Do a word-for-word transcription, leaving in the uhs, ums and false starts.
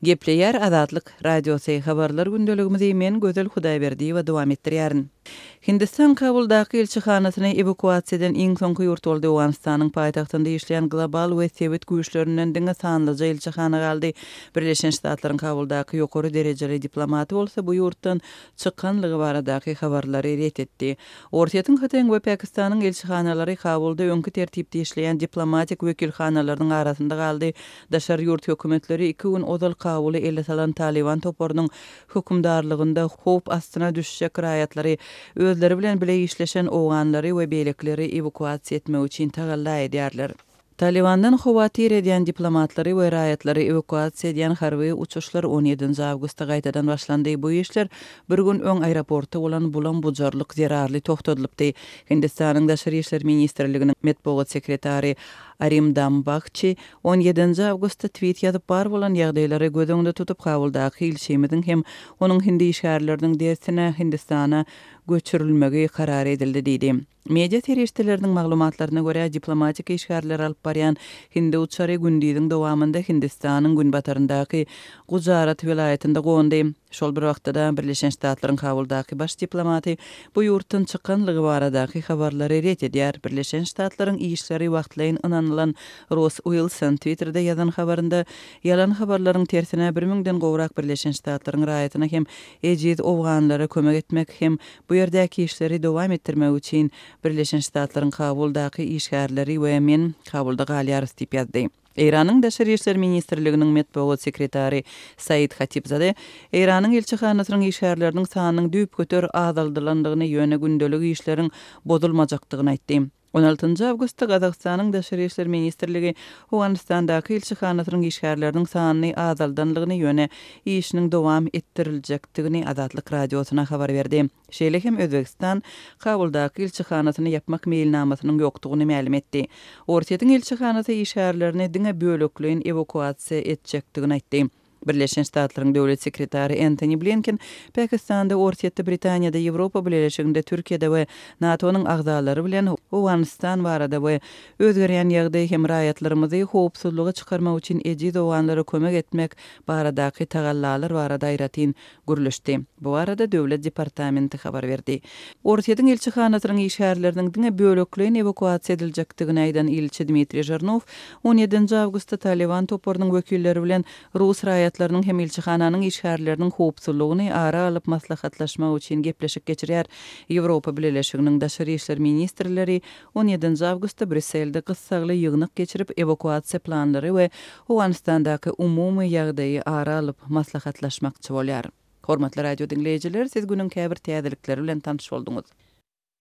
Gepleýär Azatlyk Radiosy, Habarlar gündeligimizi men Gözel Hudaýberdiýewa dowam etdirýärin. Hindistan Kabuldaky ilçihanasyny ewakuasiýa eden iň soňky ýurt boldy. Owganystanyň paýtagtynda işleýän global we sebit güýçlerinden diňe sanlyja ilçihana galdy. Birleşen Ştatlaryň Kabuldaky ýokary derejeli diplomaty bolsa bu ýurtdan çykanlygy baradaky habarlary ret etdi. Orsýetiň, Hytaýyň we Pakistanyň ilçihanalary Kabulda öňki tertipde işleýän diplomatik wekilhanalarynyň arasynda galdy. Daşary ýurt hökümetleri iki gün ozal Kabuly ele salan Talyban toparynyň hökümdarlygynda howp astyna düşjek raýatlary, özleri bilen bile işleşen owganlary we beýlekileri ewakuasiýa etmek üçin tagalla edýärler. Talybandan howatyr edýän diplomatlary we raýatlary ewakuasiýa edýän harby uçuşlar on ýedinji awgustda gaýtadan başlandy. Bu işler bir gün öň aeroportda bolan bulam-bujarlyk zerarly togtadylypdy. Hindistanyň Daşary işler ministrliginiň metbugat sekretary Arimdam Bagçi on ýedinji awgustda tweet ýazyp, bar bolan ýagdaýlary göz öňünde tutup, Kabuldaky ilçimiziň hem onuň hindi işgärleriniň dersine Hindistana göçürilmegi karar edildi diýdi. Media serişdeleriniň maglumatlaryna görä, diplomatik işgärleri alyp barýan hindi uçary gündiziň dowamynda Hindistanyň günbataryndaky Gujarat welaýatynda gondy. Şol bir wagtda-da Birleşen Ştatlaryň Kabuldaky baş diplomaty bu ýurtdan çykanlygy baradaky habarlary ret edýär. Birleşen Ştatlaryň işleri wagtlaýyn ynanylan Ross Uilson Twitterde ýazan habarynda ýalan habarlaryň tersine bir müňden gowrak Birleşen Ştatlaryň raýatyna hem ejiz owganlara kömek etmek hem bu ýerdäki işleri dowam etdirmek üçin Birleşen Ştatlaryň Kabuldaky işgärleri we men Kabulda galýarys diýip ýazdy. Eýranyň Daşary işler ministrliginiň metbugat sekretary Said Hatibzade Eýranyň ilçihanasynyň işgärleriniň sanynyň düýpgöter azaldylandygyny, ýöne gündelik işleriň bozulmajakdygyny aýtdy. On altynjy awgustda Gazagystanyň Daşary işler ministrligi Owganystandaky ilçihanasynyň işgärleriniň sanyny azaldanlygyny, ýöne işiniň dowam etdiriljekdigini Azatlyk Radiosyna habar berdi. Şeýle hem Özbegistan Kabuldaky ilçihanasyny ýapmak meýilnamasynyň ýokdugyny mälim etdi. Orsýetiň ilçihanasy işgärlerini diňe bölekleýin ewakuasiýa etjekdigini aýtdy. Birleşen Ştatlaryň döwlet sekretary Entoni Blinken Pakistanda, Orsýetde, Britaniýada, Ýewropa Bileleşiginde, Türkiýede we NATO-nyň agzalary bilen Owganystan barada we özgerýän ýagdaý hem raýatlarymyzy howpsuzlyga çykarmak üçin ejiz owganlara kömek etmek baradaky tagallalar barada aýratyn gürleşdi. Bu barada Döwlet departamenti habar berdi. Orsýetiň ilçihanasynyň işgärleriniň diňe bölekleýin ewakuasiýa ediljekdigini aýdan ilçi Dmitriý Žirnow on ýedinji awgustda Taliban toparynyň wekilleri bilen rus raýatlarynyň hem ilçihananyň işgärleriniň howpsuzlygyny ara alyp maslahatlaşmak üçin gepleşik geçirýär. Ýewropa Bileleşiginiň daşary işler ministrleri on ýedinji awgustda Brýusselde gyssagly ýygnak geçirip, ewakuasiýa planlary we Owganystandaky umumy ýagdaýy ara alyp maslahatlaşmakçy bolýar. Hormatly radio diňleýjiler, siz günüň käbir täzelikleri bilen tanyş bolduňyz.